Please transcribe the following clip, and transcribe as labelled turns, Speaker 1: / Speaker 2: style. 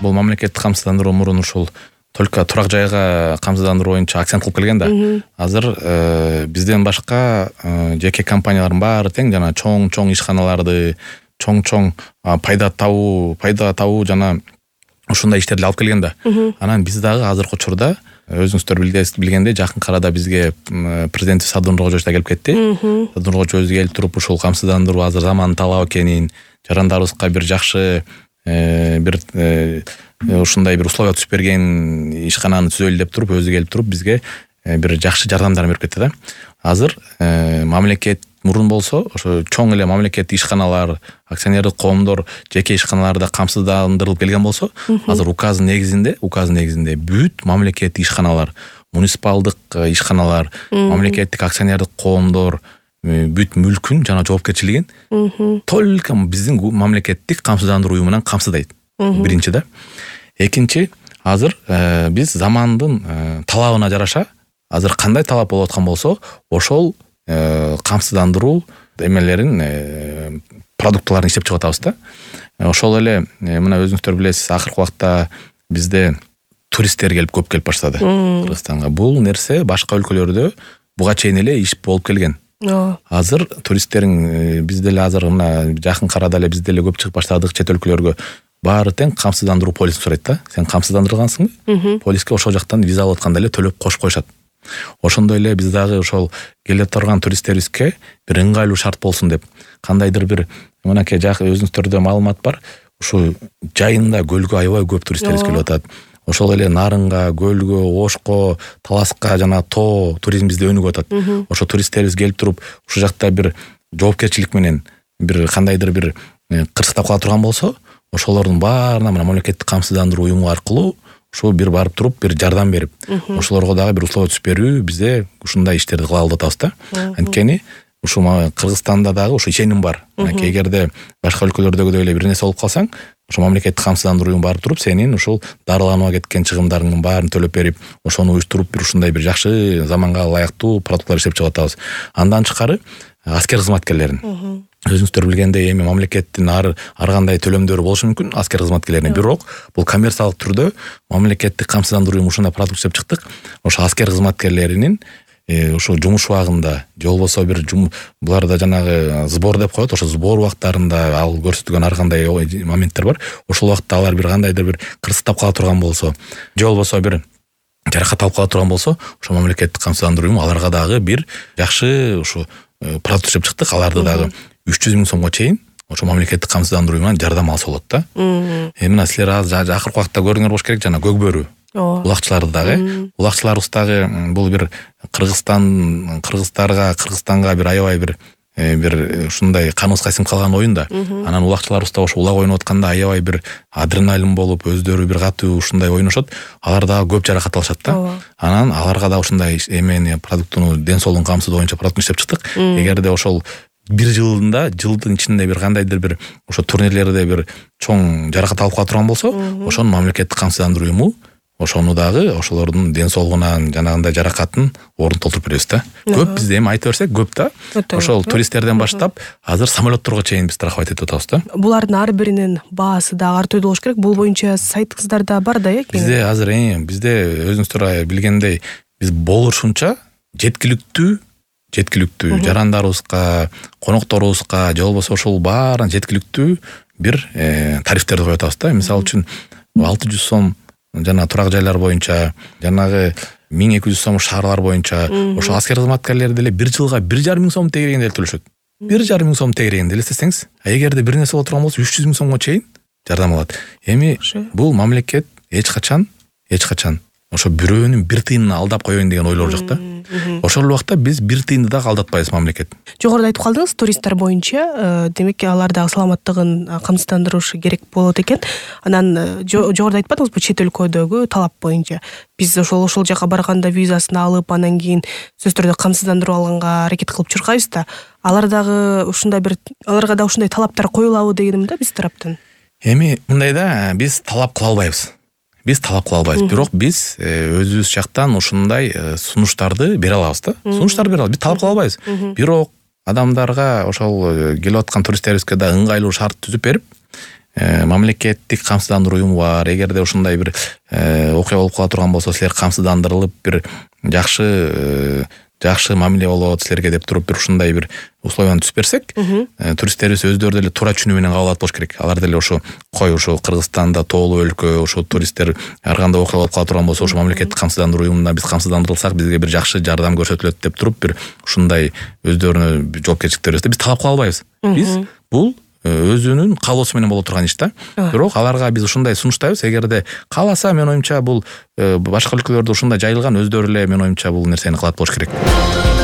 Speaker 1: бул мамлекеттик камсыздандыруу мурун ушул только турак жайга камсыздандыруу боюнча акцент кылып келген да. Азыр бизден башка жеке компаниялардын баары тең жана чоң ишканаларды, чоң пайда табуу жана ушундай иштерди алып келген да. Анан биз дагы азыркы учурда өзүңүздөр билгендей жакын арада бизге президент Садыр Нуркожоевич да келип кетти. Садыр Нуркожоевич өзү келип туруп ушул камсыздандыруу азыр заманын талабы экенин, жарандарыбызга бир жакшы бир ушундай бир условия түзүп берген ишкананы түзөлү деп туруп өзү келип туруп бизге бир жакшы жардамдар берип кетти да. Азыр мамлекет мурун болсо ошо чоң эле мамлекеттик ишканалар, акционердик коомдор, жеке ишканаларда камсыздандырылып келген болсо, азыр указдын негизинде бүт мамлекеттик ишканалар, муниципалдык ишканалар, мамлекеттик акционердик коомдор бүт мүлкүн жана жоопкерчилигин только биздин мамлекеттик камсыздандыруу уюмунан камсыздайт. Биринчи да. Экинчи, азыр биз замандын талабына жараша азыр кандай талап болуп аткан болсо, ошол камсыздандыруу эмелерин продуктыларын иштеп чыгып атабыз да. Ошол эле мына өзүңүздөр билесиз, акыркы убакта бизде туристтер көп келип баштады Кыргызстанга. Бул нерсе башка өлкөлөрдө буга чейин эле иш болуп келген. Азыр туристтерин бизде эле азыр мына жакын арада эле бизде эле көп чыгып баштадык чет өлкөлөргө. Баары тең камсыздандыруу полисин сурайт да. Сен камсыздандырылгансыңбы? Полиске ошол жактан виза алып атканда эле төлөп кошуп коюшат. Ошондой эле биз дагы ошол келе турган туристтерибизге бир ыңгайлуу шарт болсун деп кандайдыр бир мынакей өзүңүздөрдө маалымат бар. Ушу жайында көлгө аябай көп туристтерибиз келип атат. Ошол эле Нарынга, Көлгө, Ошко, Таласка жана тоо туризм бизде өнүгүп атат. Ошо туристтерибиз келип туруп ушул жакта бир жоопкерчилик менен бир кандайдыр бир кырсыктап кала турган болсо, ошолордун баарына мына мамлекеттик камсыздандыруу уюму аркылуу ушул бир барып туруп бир жардам берип, ошолорго дагы бир условия түзүп берүү, бизде ушундай иштерди кыла алып атабыз да. Анткени ушул Кыргызстанда дагы ушу ишеним бар. Эгерде башка өлкөлөрдөгүдөй эле бир нерсе болуп калсаң, ошо мамлекеттик камсыздандыруу уюму барып туруп сенин ушул дарыланууга кеткен чыгымдарыңдын баарын төлөп берип, ошону уюштуруп бир ушундай бир жакшы заманга ылайыктуу продуктлар иштеп чыгып атабыз. Андан тышкары аскер кызматкерлерин өзүңүздөр билгендей эми мамлекеттин ар кандай төлөмдөрү болушу мүмкүн аскер кызматкерлерине, бирок бул коммерциялык түрдө мамлекеттик камсыздандыруу уюму ушундай продукт иштеп чыктык. Ошо аскер кызматкерлеринин ошо жумуш убагында же болбосо бир буларда жанагы сбор деп коет, ошо сбор убактарында ал көрсөтүлгөн ар кандай моменттер бар. Ошол убакта алар бир кандайдыр бир кырсыктап кала турган болсо, же болбосо бир жаракат алып кала турган болсо, ошо мамлекеттик камсыздандыруу уюму аларга дагы бир жакшы ушу продукт иштеп чыктык. Аларды дагы 300 000 сомго чейин ошо мамлекеттик камсыздандыруу уюмунан жардам алса болот да. Мына силер азыр акыркы убакта көрүңөр болуш керек жана көкбөрү улакчыларды дагы. Улакчыларыбыз дагы бул бир Кыргызстанга бир аябай бир ушундай каныбыз кайсынып калган оюн да. Анан улакчыларыбыз да ошо улак ойноп атканда аябай бир адреналин болуп, өздөрү бир катуу ушундай ойношот. Алар дагы көп жаракат алышат да. Анан аларга да ушундай эмени продуктуну ден соолугун камсыздоо боюнча продукт иштеп чыктык. Эгерде ошол бир жылдын ичинде бир кандайдыр бир ошо турнирлерде бир чоң жаракат алып кала турган болсо, ошону мамлекеттик камсыздандыруу уюму ошону дагы ошолордун ден соолугунан жанагындай жаракатын орун толтуруп беребиз да. Көп бизде эми айта берсек көп да. Ошол туристтерден баштап азыр самолетторго чейин биз страховать этип атабыз да.
Speaker 2: Булардын ар биринин баасы дагы ар түрдүү болуш керек. Бул боюнча сайтыңыздарда бар да, э?
Speaker 1: Бизде азыр бизде өзүңүздөр билгендей биз болушунча жеткиликтүү жарандарыбызга, конокторубузга, же болбосо ошол баарына жеткиликтүү бир тарифтерди коюп атабыз да. Мисалы үчүн 600 сом жана турак жайлар боюнча, жанагы 1200 сом шаарлар боюнча, ошо аскер кызматкерлери деле бир жылга 1,5 миң сом тегерегинде төлөшөт. 1,5 миң сом тегерегинде элестетсеңиз, эгерде бир нерсе боло турган болсо 300 000 сомго чейин жардам алат. Эми бул мамлекет эч качан ошо бирөөнүн бир тыйынына алдап коеюн деген ойлор жок да. Ошол убакта биз бир тыйынды да алдатпайбыз мамлекет.
Speaker 2: Жогоруда айтып калдыңыз, туристтер боюнча, демек алар дагы саламаттыгын камсыздандырышы керек болот экен. Анан жогоруда айтпадыңызбы, чет өлкөдөгү талап боюнча биз ошол жака барганда визасын алып, анан кийин сөзсүз түрдө камсыздандыруу алганга аракет кылып чуркайбыз да. Аларга дагы ушундай талаптар коюлабы дегеним да биз тараптан.
Speaker 1: Эми мындай да, биз талап кыла албайбыз. Бирок биз өзүбүз жактан ушундай сунуштарды бере алабыз да. Биз талап кыла албайбыз. Бирок адамдарга ошол келип аткан туристтерибизге да ыңгайлуу шарт түзүп берип, мамлекеттик камсыздандыруу уюму бар. Эгерде ушундай бир окуя болуп кала турган болсо, силер камсыздандырылып бир жакшы мамиле болот силерге деп туруп бир ушундай бир условияны түзүп берсек, туристтерибиз өздөрү деле туура түшүнүү менен кабыл алат болуш керек. Алар деле ушу Кыргызстанда тоолуу өлкө, ушу туристтер ар кандай окуя болуп кала турган болсо, ушу мамлекеттик камсыздандыруу уюмуна биз камсыздандырылсак, бизге бир жакшы жардам көрсөтүлөт деп туруп бир ушундай өздөрүнө жоопкерчилик берсе, биз талап кыла албайбыз. Биз бул өзүнүн каалоосу менен боло турган иш да. Бирок аларга биз ушундай сунуштайбыз. Эгерде кааласа, менин оюмча бул башка өлкөлөрдө ушундай жайылган, өздөрү эле менин оюмча бул нерсени кылат болуш керек.